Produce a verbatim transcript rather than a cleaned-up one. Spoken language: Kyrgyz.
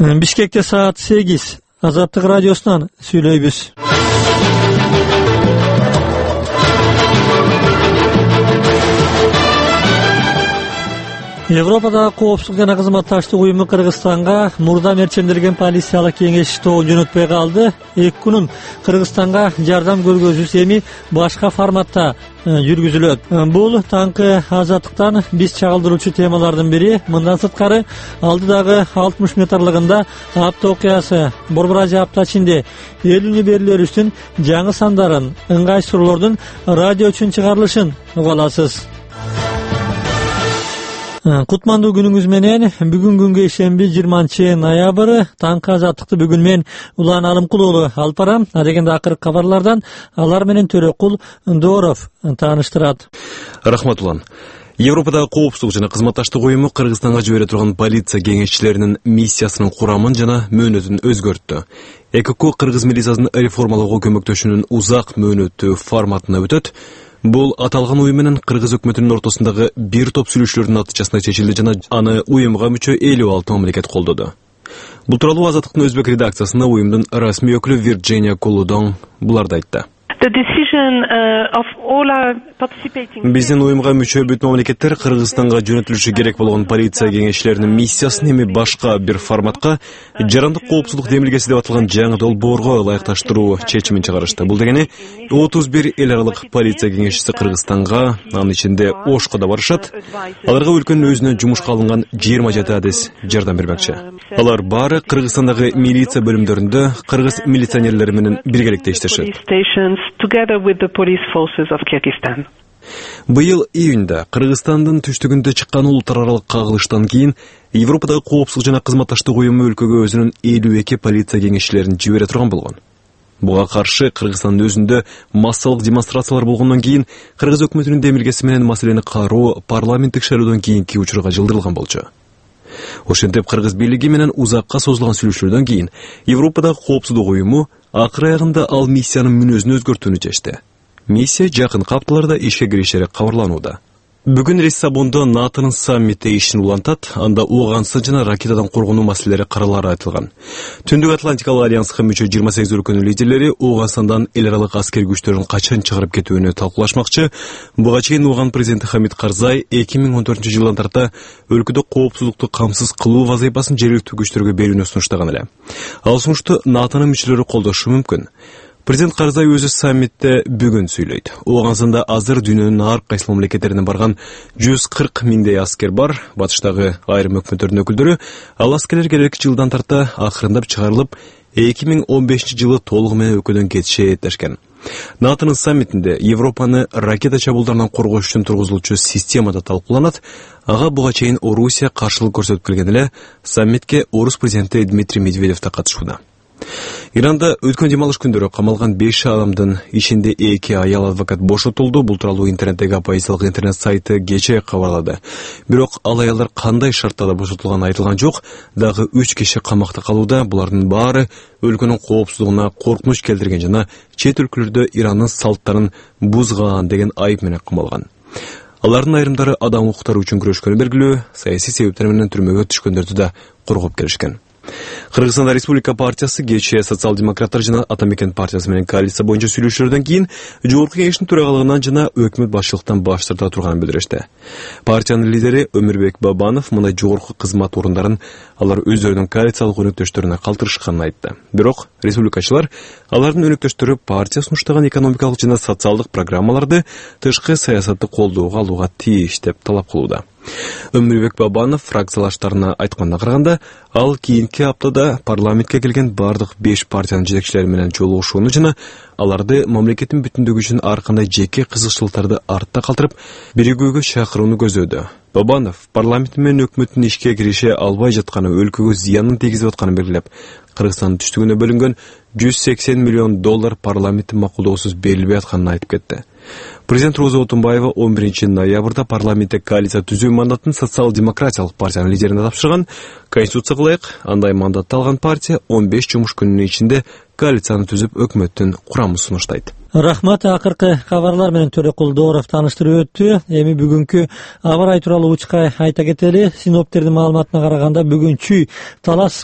Бишкекте саат сегиз. Азаттык радиосунан сүйлөйбүз. Европадагы коопсуздук жана кызматташтык уюму Кыргызстанга мурда мерчемделген полициялык кеңеш тобу жөнөтпөй калды. эки күнүн Кыргызстанга жардам көргөзүүсү эми башка форматта жүргүзүлөт. Бул таңкы азаттыктан биз чагылдыруучу темалардын бири. Мындан сырткары алдыдагы алтымыш мүнөт аралыгында апта окуясы, Борбор Азия апта ичинде элүүнү берилерибиздин жаңы сандарын, ыңгай суроолордун радио үчүн чыгарылышын уга аласыз. Кутмандуу күнүңүз менен. Бүгүн күнгө ишемби жыйырманчы ноябрь. Таңкы азаттыкты бүгүн мен Улан Алымкул уулу алып барам. Адегенде акыркы кабарлардан алар менен Төрөкул Дооров тааныштырат. Рахмат Улан. Европадагы коопсуздук жана кызматташтык уюму Кыргызстанга жибере турган полиция кеңешчилеринин миссиясынын курамын жана мөөнөтүн өзгөрттү. Э К К Кыргыз милициясын реформалоого көмөктөшүүнүн узак мөөнөттүү форматына өтөт. Бул аталган уюм менен Кыргыз өкмөтүнүн ортосундагы бир топ сүйлөшүүлөрдүн натыйжасында чечилди жана аны уюмга мүчө элүү алты мамлекет колдоду. Бул тууралуу Азаттыктын өзбек редакциясында уюмдун расмий өкүлү Вирджиния Колудон буларды айтты. Биздин уюмга мүчө бүт мамлекеттер Кыргызстанга жөнөтүлүшү керек болгон полиция кеңешчилеринин миссиясын эми башка бир форматка, жарандык коопсуздук демилгеси деп аталган жаңы долбоорго ылайыкташтыруу чечимин чыгарышты. Бул дегени отуз бир эл аралык полиция кеңешчиси Кыргызстанга, анын ичинде Ошко да барышат. Аларга өлкөнүн өзүнө жумушка алынган жыйырма жети адис жардам бермекчи. Алар баары Кыргызстандагы милиция бөлүмдөрүндө кыргыз милиционерлери менен биргеликте иштешет. Together with the police forces of Kyrgyzstan. Быйыл июнда Кыргызстандын түштүгүндө чыккан улуттар аралык кагылыштан кийин Европадагы коопсуздук жана кызматташтык уюму өлкөгө өзүнүн элүү эки полиция кеңешчилерин жибере турган болгон. Буга каршы Кыргызстандын өзүндө массалык демонстрациялар болгондон кийин Кыргыз өкмөтүнүн демилгеси менен маселени кароо парламенттик шайлоодон кийинки учурга жылдырылган болчу. Ошентип Кыргыз бийлиги менен узакка созулган сүйлөшүүлөрдөн кийин Европадагы коопсуздук уюму акыр аягында ал миссиянын мүнөзүн өзгөртүүнү чечти. Миссия жакынкы апталарда ишке киришери кабарланууда. Бүгүн Лиссабондо НАТОнун саммити ишин улантат, анда ооганстан жана ракетадан коргонуу маселелери каралары айтылган. Түндүк Атлантикалык альянска мүчө жыйырма сегиз өлкөнүн лидерлери Ооганстандан эл аралык аскер күчтөрүн качан чыгарып кетүүнү талкуулашмакчы. Буга чейин Ооган президенти Хамид Карзай эки миң он төртүнчү жылдан тарта өлкөдө коопсуздукту камсыз кылуу вазыйфасын жергиликтүү күчтөргө берүүнү сунуштаган эле. Ал сунушту НАТОнун мүчөлөрү колдошу мүмкүн. Президент Карзай өзү саммитте бүгүн сүйлөйт. Ооганстанда азыр дүйнөнүн ар кайсы мамлекеттеринен барган жүз кырк миңдей аскер бар. Батыштагы айрым өкмөттөрдүн өкүлдөрү ал аскерлер келерки жылдан тарта акырындап чыгарылып, эки миң он бешинчи жылы толугу менен өлкөдөн кетиши эттешкен. НАТОнун саммитинде Европаны ракета чабуулдарынан коргош үчүн тургузулуучу система да талкууланат. Ага буга чейин Орусия каршылык көрсөтүп келген эле. Саммитке Орус президенти Дмитрий Медведев да катышууда. Иранда өткөн демалыш күндөрү камалган беш адамдын ичинде эки аял адвокат бошотулду. Бул тууралуу интернеттеги оппозициялык интернет сайты кечээ кабарлады. Бирок ал аялдар кандай шарттарда бошотулганы айтылган жок. Дагы үч киши камакта калууда. Булардын баары өлкөнүн коопсуздугуна коркунуч келтирген жана чет өлкөлөрдө Ирандын салттарын бузган деген айып менен камалган. Алардын айрымдары адам укуктары үчүн күрөшкөнү белгилүү, саясий себептер менен түрмөгө түшкөндөрдү да коргоп келишкен. Кыргызстанда Республика партиясы кечээ социал-демократтар жана Атамекен партиясы менен коалиция боюнча сүйлөшүүлөрдөн кийин жогорку кеңештин төрагалыгынан жана өкмөт башчылыктан баш тарта турганын билдиришти. Партиянын лидери Өмүрбек Бабанов мындай жогорку кызмат орундарын алар өздөрүнүн коалициялык өнөктөштөрүнө калтырышканын айтты. Бирок республикачылар алардын өнөктөштөрү партия сунуштаган экономикалык жана социалдык программаларды тышкы саясатты колдоого алууга тийиш деп талап кылууда. Өмүрбек Бабанов фракциялаштарына айтканына караганда, ал кийинки аптада парламентке келген бардык беш партиянын жетекчилери менен жолугушууну жана аларды мамлекеттин бүтүндүгү үчүн ар кандай жеке кызыкчылыктарды артта калтырып, биригүүгө чакырууну көздөдү. Бабанов парламент менен өкмөттүн ишке кирише албай жатканы өлкөгө зыянын тийгизип атканын белгилеп, Кыргызстандын түштүгүнө бөлүнгөн жүз сексен миллион доллар парламенттин макулдоосуз берилбей атканын айтып кетти. Президент Роза Отунбаева он биринчи ноябрда парламентте коалиция түзүү мандатын социал-демократиялык партиянын лидерине тапшырган. Конституцияга ылайык, андай мандатты алган партия он беш жумуш күнүнүн ичинде коалицияны түзүп өкмөттүн курамын сунуштайт. Рахмат, акыркы кабарлар менен Төрөкул Дооров тааныштырып өттү. Эми бүгүнкү аба ырайы тууралуу учка айта кетели. Синоптиктердин маалыматына караганда бүгүн чүй талас